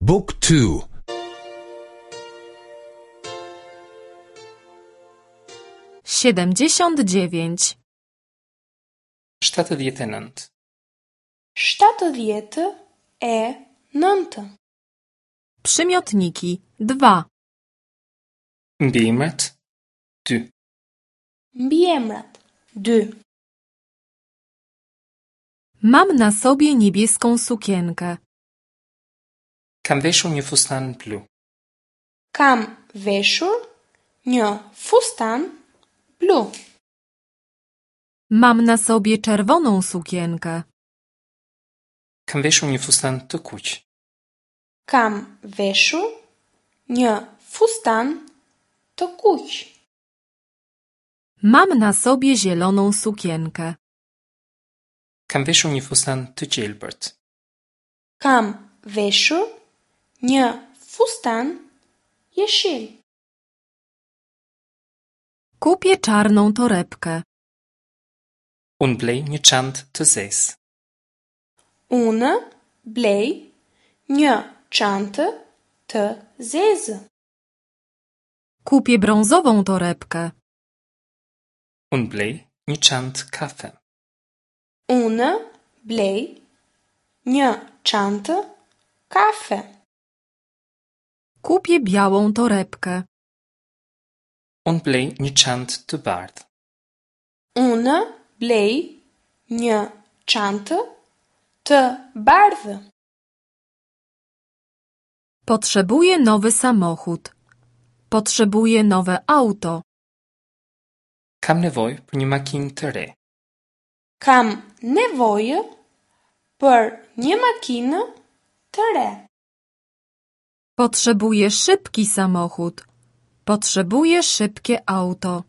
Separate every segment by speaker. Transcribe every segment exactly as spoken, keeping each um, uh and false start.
Speaker 1: Book two.
Speaker 2: Siedemdziesiąt dziewięć.
Speaker 3: Shtatëdhjetë e nëntë.
Speaker 4: Shtatëdhjetë e nëntë.
Speaker 2: Przymiotniki dwa.
Speaker 3: Mbiemrat dy.
Speaker 4: Mbiemrat dy.
Speaker 2: Mam na sobie niebieską sukienkę.
Speaker 3: Kam veshur një fustan blu.
Speaker 4: Kam veshur një fustan blu.
Speaker 2: Mam na sobie czerwoną sukienkę.
Speaker 3: Kam veshur një fustan të kuq.
Speaker 4: Kam veshur një fustan të kuq.
Speaker 2: Mam na sobie zieloną sukienkę.
Speaker 3: Kam veshur një fustan të gjelbërt.
Speaker 4: Kam veshur një fustan jeshil.
Speaker 2: Kupię czarną torebkę.
Speaker 3: Unë blej një çantë të zezë.
Speaker 4: Unë blej një çantë të zezë.
Speaker 2: Kupię brązową torebkę.
Speaker 3: Unë blej një çantë kafe.
Speaker 4: Unë blej një çantë kafe.
Speaker 2: Kupię białą torebkę.
Speaker 3: Unë blej një çantë të bardhë.
Speaker 4: Unë blej një çantë të bardhë.
Speaker 2: Potrzebuję nowy samochód. Potrzebuję nowe auto.
Speaker 3: Kam nevojë për një makinë të re.
Speaker 4: Kam nevojë për një makinë të re.
Speaker 2: Potrzebuję szybki samochód. Potrzebuję szybkie auto.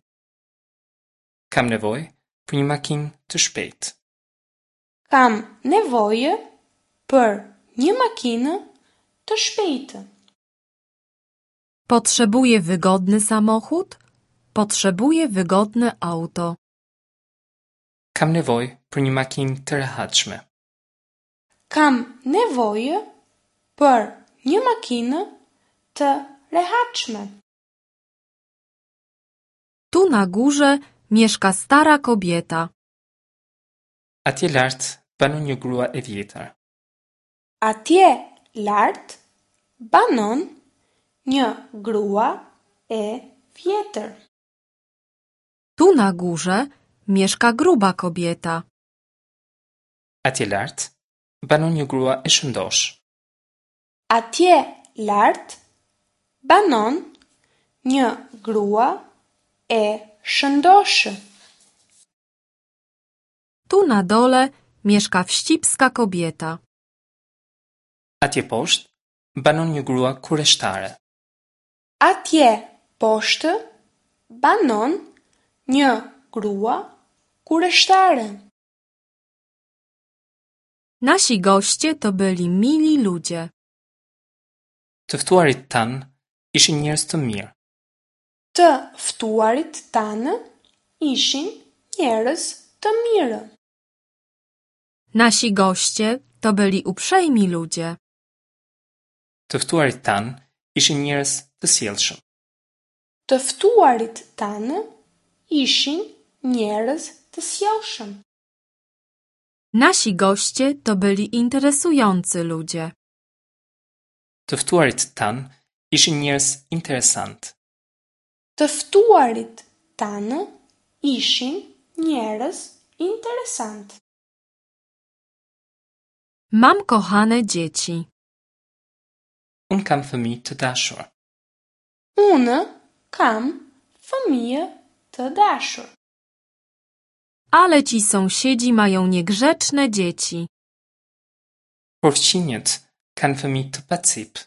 Speaker 3: Kam nevojë për një makinë të shpejtë.
Speaker 4: Kam nevojë për një makinë të shpejtë.
Speaker 2: Potrzebuję wygodny samochód. Potrzebuję wygodne auto.
Speaker 3: Kam nevojë për një makinë të rehatshme.
Speaker 4: Kam nevojë për një makinë të rehatshme.
Speaker 2: Tu na górze mieszka stara kobieta.
Speaker 3: Atje lart banon një grua e vjetër.
Speaker 4: Atje lart banon një grua e vjetër.
Speaker 2: Tu na górze mieszka gruba kobieta.
Speaker 3: Atje lart banon një grua e shëndoshë.
Speaker 4: Atje lart banon një grua e shëndoshë.
Speaker 2: Tu na dole mieszka wścibska kobieta.
Speaker 3: Atje poshtë banon një grua kureshtare.
Speaker 4: Atje poshtë banon një grua kureshtare.
Speaker 2: Nasi goście to byli mili ludzie.
Speaker 3: Të ftuarit tanë ishin njerëz të mirë.
Speaker 4: Të ftuarit tanë ishin njerëz të mirë.
Speaker 2: Nasi goście to byli uprzejmi ludzie.
Speaker 3: Të ftuarit tanë ishin njerëz të sjellshëm.
Speaker 4: Të ftuarit tanë ishin njerëz të sjellshëm.
Speaker 2: Nasi goście to byli interesujący ludzie.
Speaker 3: Të ftuarit tanë ishin njerëz interesant.
Speaker 4: Të ftuarit tanë ishin njerëz interesant.
Speaker 2: Mam kochane dzieci.
Speaker 3: Unë kam fëmijë të dashur.
Speaker 4: Unë kam fëmijë të dashur.
Speaker 2: Ale ci sąsiedzi mają niegrzeczne dzieci.
Speaker 3: Por fqinjët kanë fëmijë të pacip.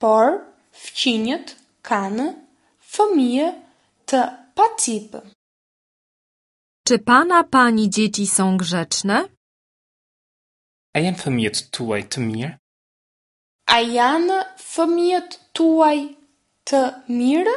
Speaker 4: Por fqinjët kanë fëmijë të pacip.
Speaker 2: Czy pana, pani dzieci są grzeczne?
Speaker 3: A janë fëmijët tuaj të mirë?
Speaker 4: A janë fëmijët tuaj të mirë?